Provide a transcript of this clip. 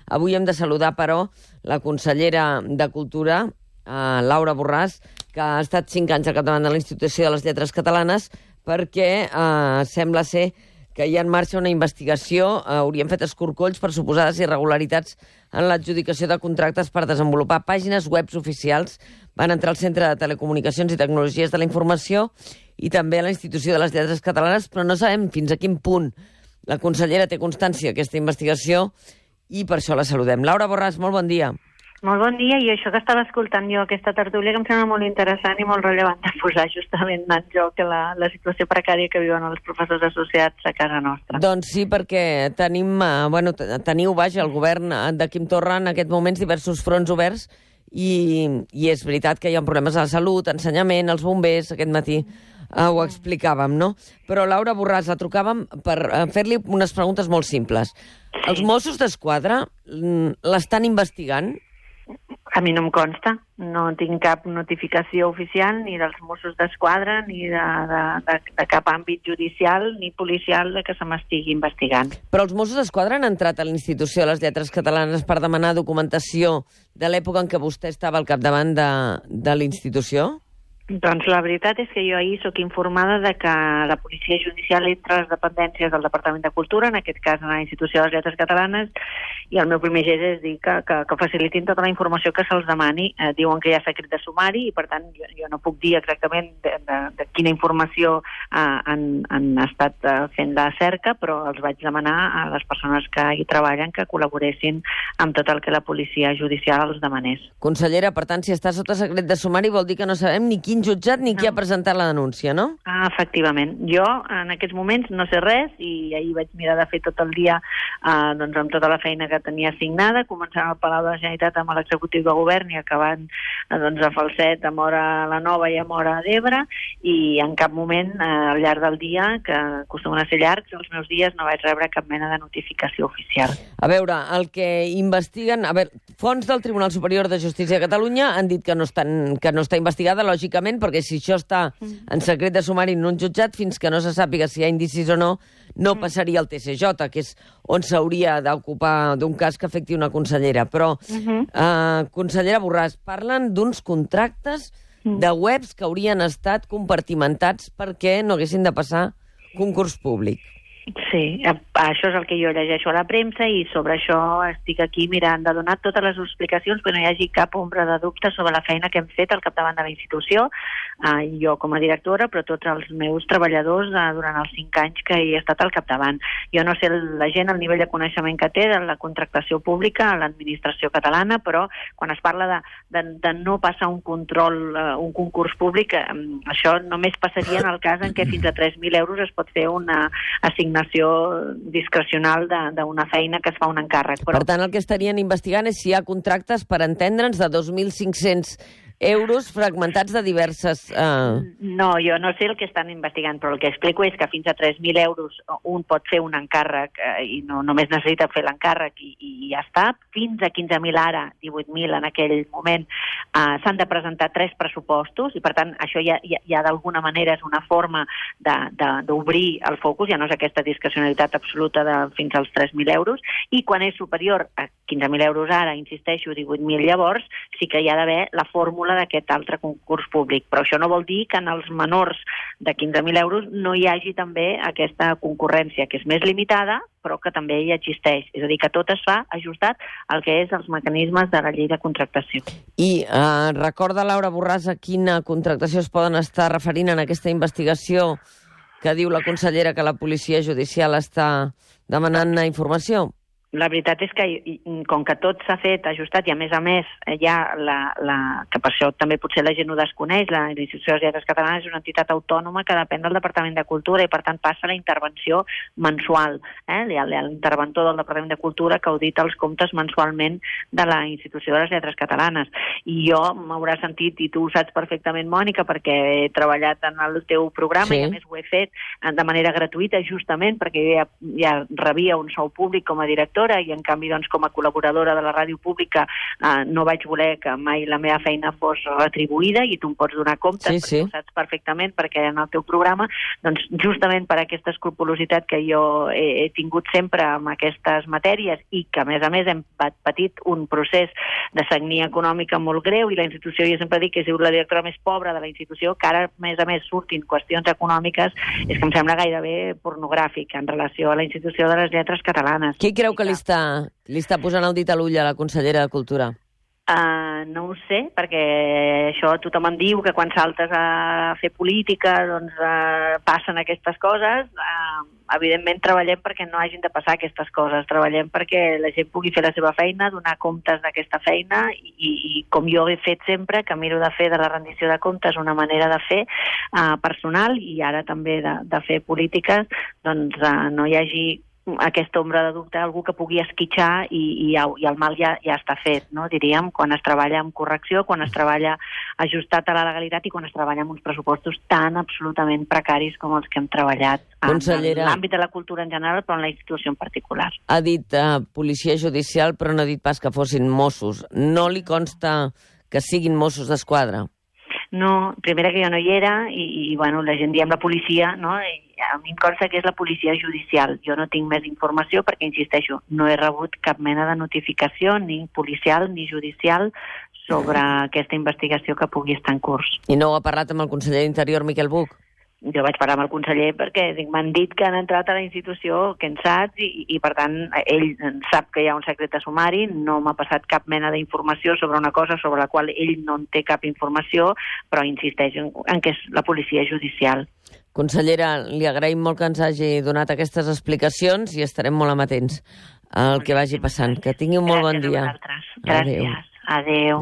Avui hem de saludar, però, la consellera de Cultura, Laura Borràs, que ha estat 5 anys al capdavant de la Institució de les Lletres Catalanes, perquè sembla ser que hi ha en marxa una investigació, haurien fet escorcolls per suposades irregularitats en l'adjudicació de contractes per desenvolupar pàgines web oficials. Van entrar al Centre de Telecomunicacions i Tecnologies de la Informació i també a la Institució de les Lletres Catalanes, però no sabem fins a quin punt la consellera té constància d'aquesta investigació i per això la saludem. Laura Borràs, molt bon dia. Molt bon dia, i això que estava escoltant jo, aquesta tertúlia, que em sembla molt interessant i molt rellevant de posar justament en joc la situació precària que viuen els professors associats a casa nostra. Doncs sí, perquè teniu, el govern de Quim Torra en aquests moments diversos fronts oberts i és veritat que hi ha problemes a la salut, ensenyament, els bombers, aquest matí ho explicàvem, no? Però Laura Borràs, la trucàvem per fer-li unes preguntes molt simples. Sí. Els Mossos d'Esquadra l'estan investigant? A mi no em consta, no tinc cap notificació oficial ni dels Mossos d'Esquadra ni de cap àmbit judicial ni policial de que se m'estigui investigant. Però els Mossos d'Esquadra han entrat a la Institució de les Lletres Catalanes per demanar documentació de l'època en què vostè estava al capdavant de la institució? Doncs la veritat és que jo ahir sóc informada de que la Policia Judicial entra a les dependències del Departament de Cultura, en aquest cas a la Institució de les Lletres Catalanes, i el meu primer gest és dir que facilitin tota la informació que se'ls demani. Diuen que hi ha secret de sumari i, per tant, jo no puc dir exactament de quina informació han estat fent la cerca, però els vaig demanar a les persones que hi treballen que col·laboressin amb tot el que la Policia Judicial els demanés. Consellera, per tant, si està sota secret de sumari vol dir que no sabem ni quin jutjat ni qui ha presentat la denúncia, no? Efectivament. Jo, en aquests moments, no sé res i ahir vaig mirar de fer tot el dia amb tota la feina que tenia assignada, començant al Palau de la Generalitat amb l'executiu de govern i acabant a Falset, a Móra la Nova i a Móra d'Ebre, i en cap moment al llarg del dia, que acostumen a ser llargs, els meus dies no vaig rebre cap mena de notificació oficial. A veure, el que investiguen... Fonts del Tribunal Superior de Justícia de Catalunya han dit que no està investigada, lògicament, perquè si això està en secret de sumari en un jutjat, fins que no se sàpiga si hi ha indicis o no, no passaria al TCJ, que és on s'hauria d'ocupar d'un cas que afecti una consellera. Però, consellera Borràs, parlen d'uns contractes de webs que haurien estat compartimentats perquè no haguessin de passar concurs públic. Sí, això és el que jo llegeixo a la premsa i sobre això estic aquí mirant de donar totes les explicacions perquè no hi hagi cap ombra de dubte sobre la feina que hem fet al capdavant de la institució, jo com a directora, però tots els meus treballadors durant els 5 anys que hi he estat al capdavant. Jo no sé la gent el nivell de coneixement que té de la contractació pública a l'administració catalana, però quan es parla de no passar un control, un concurs públic, això només passaria en el cas en què fins a 3.000 euros es pot fer una assignació discrecional d'una feina que es fa un encàrrec. Per tant, el que estarien investigant és si hi ha contractes, per entendre'ns, de 2.500 euros fragmentats de diverses... No, jo no sé el que estan investigant, però el que explico és que fins a 3.000 euros un pot fer un encàrrec i no només necessita fer l'encàrrec i ja està. Fins a 15.000 ara, 18.000 en aquell moment, s'han de presentar 3 pressupostos i, per tant, això ja d'alguna manera és una forma d'obrir el focus, ja no és aquesta discrecionalitat absoluta de fins als 3.000 euros, i quan és superior a 15.000 euros ara, insisteixo, 18.000 llavors, sí que hi ha d'haver la fórmula d'aquest altre concurs públic. Però això no vol dir que en els menors de 15.000 euros no hi hagi també aquesta concurrència, que és més limitada, però que també hi existeix. És a dir, que tot es fa ajustat al que és els mecanismes de la llei de contractació. I recorda, Laura Borràs, a quina contractació es poden estar referint en aquesta investigació que diu la consellera que la Policia Judicial està demanant informació? La veritat és que, com que tot s'ha fet ajustat i, a més, hi ha que per això també potser la gent ho desconeix, la Institució de les Lletres Catalanes és una entitat autònoma que depèn del Departament de Cultura i, per tant, passa la intervenció mensual. Hi ha l'interventor del Departament de Cultura que audita els comptes mensualment de la Institució de les Lletres Catalanes. I jo m'haurà sentit, i tu ho saps perfectament, Mònica, perquè he treballat en el teu programa i, a més, ho he fet de manera gratuïta, justament perquè jo ja rebia un sou públic com a directora emissora i, en canvi, doncs, com a col·laboradora de la ràdio pública no vaig voler que mai la meva feina fos retribuïda i tu em pots donar compte, sí. ho saps perfectament, perquè en el teu programa, doncs, justament per aquesta escrupolositat que jo he tingut sempre amb aquestes matèries i que, a més, hem patit un procés de sagnia econòmica molt greu i la institució, jo sempre dic que és la directora més pobra de la institució, que ara, a més, surtin qüestions econòmiques, és que em sembla gairebé pornogràfic en relació a la institució de les lletres catalanes. Qui creu que li està posant el dit a l'ull a la consellera de Cultura? No ho sé, perquè això tothom em diu que quan saltes a fer política doncs passen aquestes coses. Evidentment treballem perquè no hagin de passar aquestes coses, treballem perquè la gent pugui fer la seva feina, donar comptes d'aquesta feina i com jo he fet sempre, que miro de fer de la rendició de comptes una manera de fer personal i ara també de fer polítiques, doncs no hi hagi aquesta ombra de dubte, algú que pugui esquitxar i el mal ja està fet, no? Diríem, quan es treballa amb correcció, quan es treballa ajustat a la legalitat i quan es treballa amb uns pressupostos tan absolutament precaris com els que hem treballat en l'àmbit de la cultura en general, però en la institució en particular. Ha dit policia judicial, però no ha dit pas que fossin Mossos. No li consta que siguin Mossos d'Esquadra? No, primera que jo no hi era i bueno, la gent diem la policia, no? A mi em consta que és la policia judicial. Jo no tinc més informació perquè, insisteixo, no he rebut cap mena de notificació, ni policial ni judicial, sobre aquesta investigació que pugui estar en curs. I no ho ha parlat amb el conseller d'Interior, Miquel Buch? Jo vaig parlar amb el conseller perquè m'han dit que han entrat a la institució, que en saps, i per tant ell sap que hi ha un secret de sumari, no m'ha passat cap mena d'informació sobre una cosa sobre la qual ell no en té cap informació, però insisteix en que és la policia judicial. Consellera, li agraïm molt que ens hagi donat aquestes explicacions i estarem molt amatents al que vagi passant. Que tingui un molt bon dia. Gràcies a vosaltres. Gràcies. Adéu.